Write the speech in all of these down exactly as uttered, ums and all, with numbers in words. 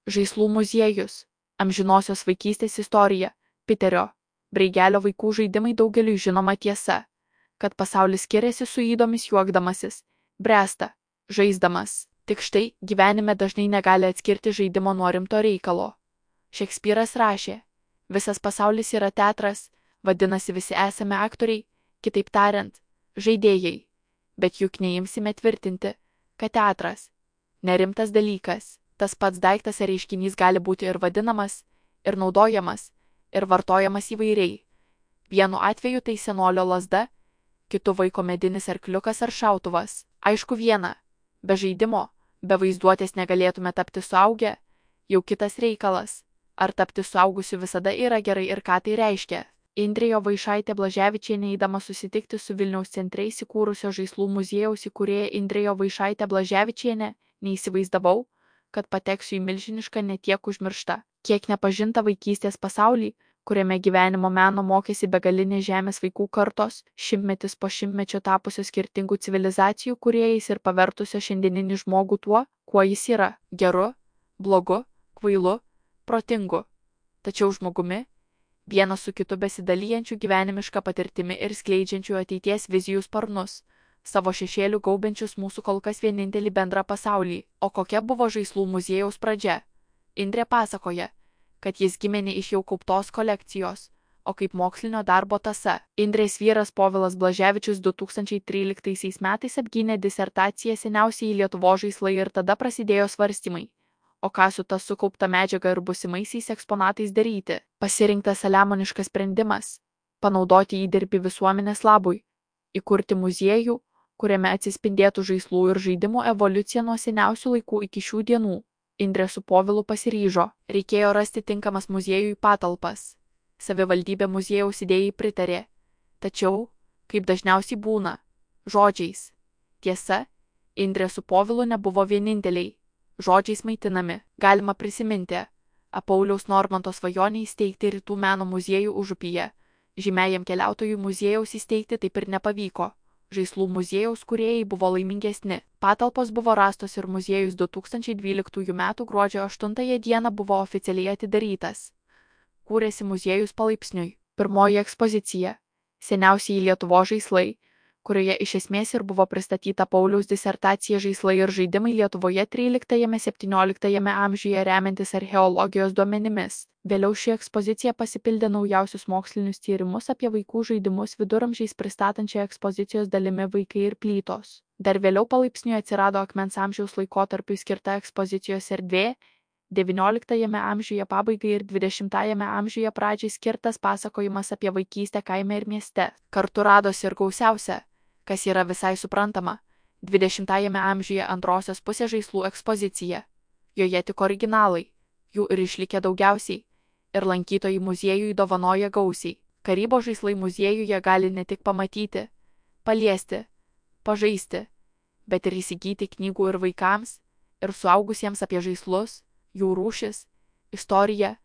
Žaislų muziejus. Amžinosios vaikystės istorija. Piterio Breigelio vaikų žaidimai daugeliui žinoma tiesa, kad pasaulis skiriasi su ydomis juokdamasis, bręsta, žaisdamas. Tik štai gyvenime dažnai negali atskirti žaidimo nuo rimto reikalo. Šekspyras rašė, visas pasaulis yra teatras, vadinasi visi esame aktoriai, kitaip tariant, žaidėjai. Bet juk neimsime tvirtinti, kad teatras nerimtas dalykas. Tas pats daiktas ar reiškinys gali būti ir vadinamas, ir naudojamas, ir vartojamas įvairiai. Vienu atveju tai senolio lazda, kitu vaiko medinis arkliukas ar šautuvas. Aišku viena, be žaidimo, be vaizduotės negalėtume tapti suaugę, jau kitas reikalas. Ar tapti suaugusiu visada yra gerai ir ką tai reiškia? Indrė Jovaišaitė Blaževičienė eidama susitikti su Vilniaus centre įsikūrusio žaislų muziejaus įkūrėja Indrė Jovaišaitė Blaževičienė, neįsivaizdavau, kad pateksiu į milžinišką netiek užmirštą, kiek nepažintą vaikystės pasaulį, kuriame gyvenimo meno mokėsi begalinės žemės vaikų kartos, šimtmetis po šimtmečio tapusios skirtingų civilizacijų kūrėjais ir pavertusio šiandieninį žmogų tuo, kuo jis yra - geru, blogu, kvailu, protingu. Tačiau žmogumi, vienas su kitu besidalijančių gyvenimišką patirtimi ir skleidžiančių ateities vizijų sparnus, savo šešėlių gaubiančius mūsų kol kas vienintelį bendrą pasaulį. O kokia buvo žaislų muziejaus pradžia? Indrė pasakoja, kad jis gimė ne iš jau kauptos kolekcijos, o kaip mokslinio darbo tąsa. Indrės vyras Povilas Blaževičius du tūkstančiai tryliktaisiais metais apgynė disertaciją seniausiai Lietuvos žaislai ir tada prasidėjo svarstymai. O ką su ta sukaupta medžiaga ir busimaisiais eksponatais daryti? Pasirinktas saliamoniškas sprendimas - panaudoti įdirbį visuomenės labui, įkurti muziejų, kuriame atsispindėtų žaislų ir žaidimų evoliucija nuo seniausių laikų iki šių dienų. Indrė su Povilu pasiryžo, reikėjo rasti tinkamas muziejui patalpas. Savivaldybė muziejaus idėjai pritarė. Tačiau, kaip dažniausiai būna, žodžiais. Tiesa, Indrė su Povilu nebuvo vieninteliai. Žodžiais maitinami, galima prisiminti, Pauliaus Normanto svajonę įsteigti Rytų meno muziejų Užupyje. Žymiajam keliautojų muziejaus įsteigti taip ir nepavyko. Žaislų muziejaus kūrėjai buvo laimingesni. Patalpos buvo rastos ir muziejus du tūkstančiai dvyliktųjų metų gruodžio aštuntąją dieną buvo oficialiai atidarytas. Kūrėsi muziejus palaipsniui. Pirmoji ekspozicija - seniausiai Lietuvos žaislai, kurioje iš esmės ir buvo pristatyta Pauliaus disertacija Žaislai ir žaidimai Lietuvoje tryliktajame-septynioliktajame amžiuje remiantis archeologijos duomenimis. Vėliau ši ekspozicija pasipildė naujausius mokslinius tyrimus apie vaikų žaidimus viduramžiais pristatančią ekspozicijos dalimi Vaikai ir plytos. Dar vėliau palaipsniui atsirado akmens amžiaus laikotarpiui skirta ekspozicijos erdvė, devynioliktajame amžiuje pabaigai ir dvidešimtajame amžiuje pradžiai skirtas pasakojimas apie vaikystę kaime ir mieste. Kartu radosi ir gausiausia, kas yra visai suprantama, dvidešimtajame amžiuje antrosios pusės žaislų ekspozicija. Joje tik originalai, jų ir išlikę daugiausiai, ir lankytojai muziejui dovanoja gausiai. Karybos žaislai muziejuje gali ne tik pamatyti, paliesti, pažaisti, bet ir įsigyti knygų ir vaikams, ir suaugusiems apie žaislus, jų rūšis, istoriją,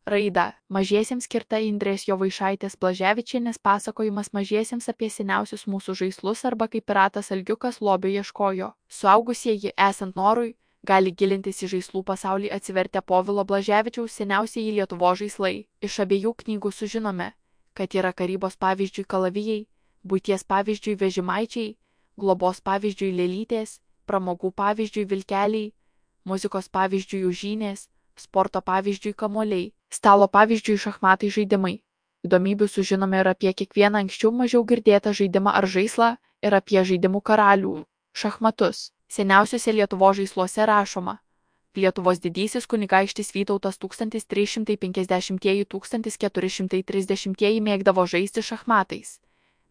raidą. Mažiesiems skirta Indrės Jovaišaitės Blaževičienės pasakojimas mažiesiems apie seniausius mūsų žaislus arba kaip piratas Algiukas lobio ieškojo. Suaugusieji, esant norui, gali gilintis į žaislų pasaulį atsivertę Povilo Blaževičiaus Seniausieji Lietuvos žaislai. Iš abiejų knygų sužinome, kad yra karybos pavyzdžiui kalavijai, buities pavyzdžiui vežimaičiai, globos pavyzdžiui lėlytės, pramogų pavyzdžiui vilkeliai, muzikos pavyzdžiui užžynės, sporto pavyzdžiui kamuoliai, stalo pavyzdžiui šachmatai žaidimai. Įdomybių sužinome ir apie kiekvieną anksčiau mažiau girdėtą žaidimą ar žaislą, ir apie žaidimų karalių - šachmatus. Seniausiuose Lietuvos žaisluose rašoma: Lietuvos didysis kunigaikštis Vytautas tūkstantis trys šimtai penkiasdešimtieji - tūkstantis keturi šimtai trisdešimtieji mėgdavo žaisti šachmatais.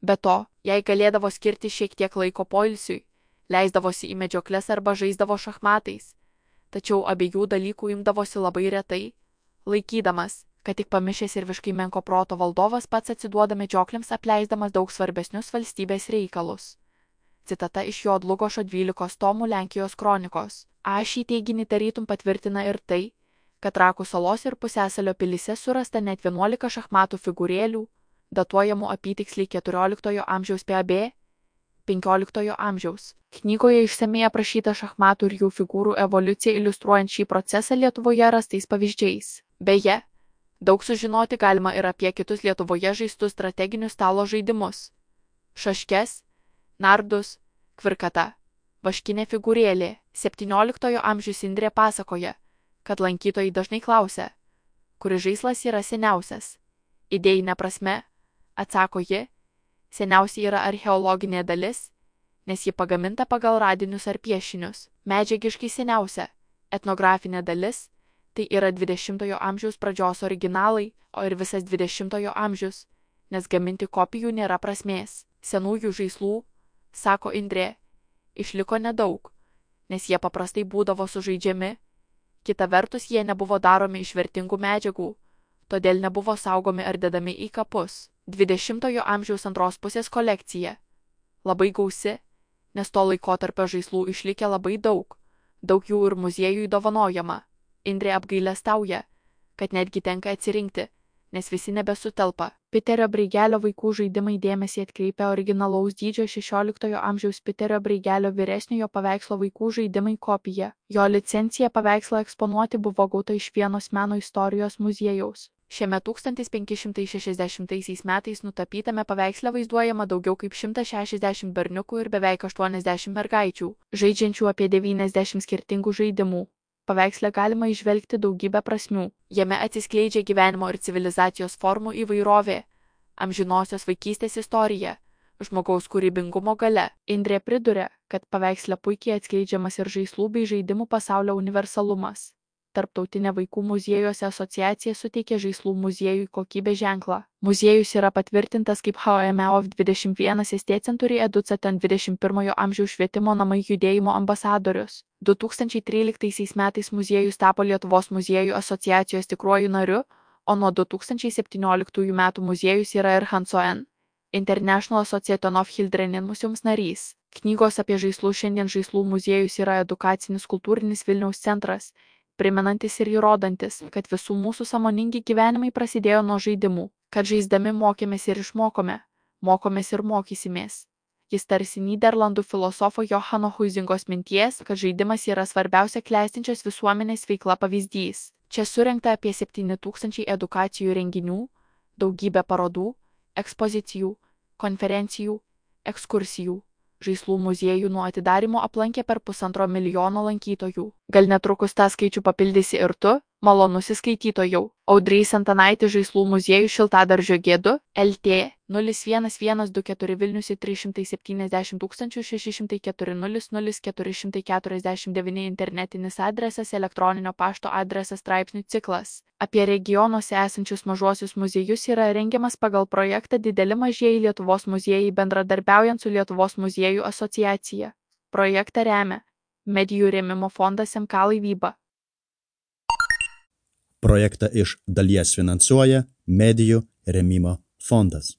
Be to, jei galėdavo skirti šiek tiek laiko poilsiui, leisdavosi į medžioklės arba žaisdavo šachmatais. Tačiau abiejų dalykų imdavosi labai retai, laikydamas, kad tik pamišęs ir visiškai menko proto valdovas pats atsiduoda medžioklėms, apleisdamas daug svarbesnius valstybės reikalus. Citata iš Jo Dlugošo dvylikos tomų Lenkijos kronikos. A šį teiginį tarytum patvirtina ir tai, kad Trakų salos ir Pusiasalio pilyse surasta net vienuolika šachmatų figūrėlių, datuojamų apytiksliai keturioliktojo amžiaus P A B, penkioliktojo amžiaus. Knygoje išsamiai aprašyta šachmatų ir jų figūrų evoliucija iliustruojant šį procesą Lietuvoje rastais pavyzdžiais. Beje, daug sužinoti galima ir apie kitus Lietuvoje žaistus strateginius stalo žaidimus. Šaškes, nardus, kvirkata, vaškinė figūrėlė. septynioliktojo amžiaus Indrė pasakoja, kad lankytojai dažnai klausia, kuris žaislas yra seniausias. Idėjinė prasme, atsako ji, seniausia yra archeologinė dalis, nes ji pagaminta pagal radinius ar piešinius. Medžiagiškai seniausia, etnografinė dalis, tai yra dvidešimtojo amžiaus pradžios originalai, o ir visas dvidešimtojo amžius, nes gaminti kopijų nėra prasmės. Senųjų žaislų, sako Indrė, išliko nedaug, nes jie paprastai būdavo sužaidžiami, kita vertus jie nebuvo daromi iš vertingų medžiagų, todėl nebuvo saugomi ar dedami į kapus. dvidešimtojo amžiaus antros pusės kolekcija. Labai gausi, nes to laikotarpio žaislų išlikę labai daug, daug jų ir muziejui dovanojama. Indrė apgailestauja, kad netgi tenka atsirinkti, nes visi nebesutelpa. Piterio Breigelio vaikų žaidimai dėmesį atkreipia originalaus dydžio šešioliktojo amžiaus Piterio Breigelio vyresniojo paveikslo vaikų žaidimai kopija. Jo licencija paveikslą eksponuoti buvo gauta iš Vienos meno istorijos muziejaus. Šiame tūkstantis penki šimtai šešiasdešimtaisiais metais nutapytame paveiksle vaizduojama daugiau kaip šimtas šešiasdešimt berniukų ir beveik aštuoniasdešimt mergaičių, žaidžiančių apie devyniasdešimt skirtingų žaidimų. Paveiksle galima įžvelgti daugybę prasmių. Jame atsiskleidžia gyvenimo ir civilizacijos formų įvairovė, amžinosios vaikystės istorija, žmogaus kūrybingumo galia. Indrė priduria, kad paveiksle puikiai atskleidžiamas ir žaislų bei žaidimų pasaulio universalumas. Tarptautinė vaikų muziejuose asociacija suteikė žaislų muziejui kokybės ženklą. Muziejus yra patvirtintas kaip H M O V dvidešimt vienas S T Century Educatan dvidešimt pirmojo amžiaus švietimo namai judėjimo ambasadorius. du tūkstančiai tryliktaisiais metais muziejus tapo Lietuvos muziejų asociacijos tikruoju nariu, o nuo du tūkstančiai septynioliktųjų metų muziejus yra ir Hanso N. International Association of Children Museums narys. Knygos apie žaislus. Šiandien žaislų muziejus yra edukacinis kultūrinis Vilniaus centras, primenantis ir įrodantis, kad visų mūsų sąmoningi gyvenimai prasidėjo nuo žaidimų, kad žaisdami mokėmės ir išmokome, mokomės ir mokysimės. Jis tarsi Nyderlandų filosofo Johano Huizingos minties, kad žaidimas yra svarbiausia klestinčios visuomenės veikla pavyzdys. Čia surinkta apie septyni tūkstančiai edukacijų renginių, daugybė parodų, ekspozicijų, konferencijų, ekskursijų. Žaislų muziejų nuo atidarymo aplankė per pusantro milijono lankytojų. Gal netrukus tą skaičių papildysi ir tu, malonusis skaitytojau. Audrys Antanaitis Žaislų muziejų Šiltadaržio G du, L T nulis vienas vienas du keturi Vilnius trys šimtai septyniasdešimt tūkstančių šeši šimtai keturi nulis nulis keturi šimtai keturiasdešimt devyni internetinis adresas, elektroninio pašto adresas. Straipsnių ciklas apie regionuose esančius mažuosius muziejus yra rengiamas pagal projektą Dideli mažieji Lietuvos muziejai bendradarbiaujant su Lietuvos muziejų asociacija. Projektą remia Medijų rėmimo fondas M K Laivyba. Projektą iš dalies finansuoja Medijų rėmimo fondas.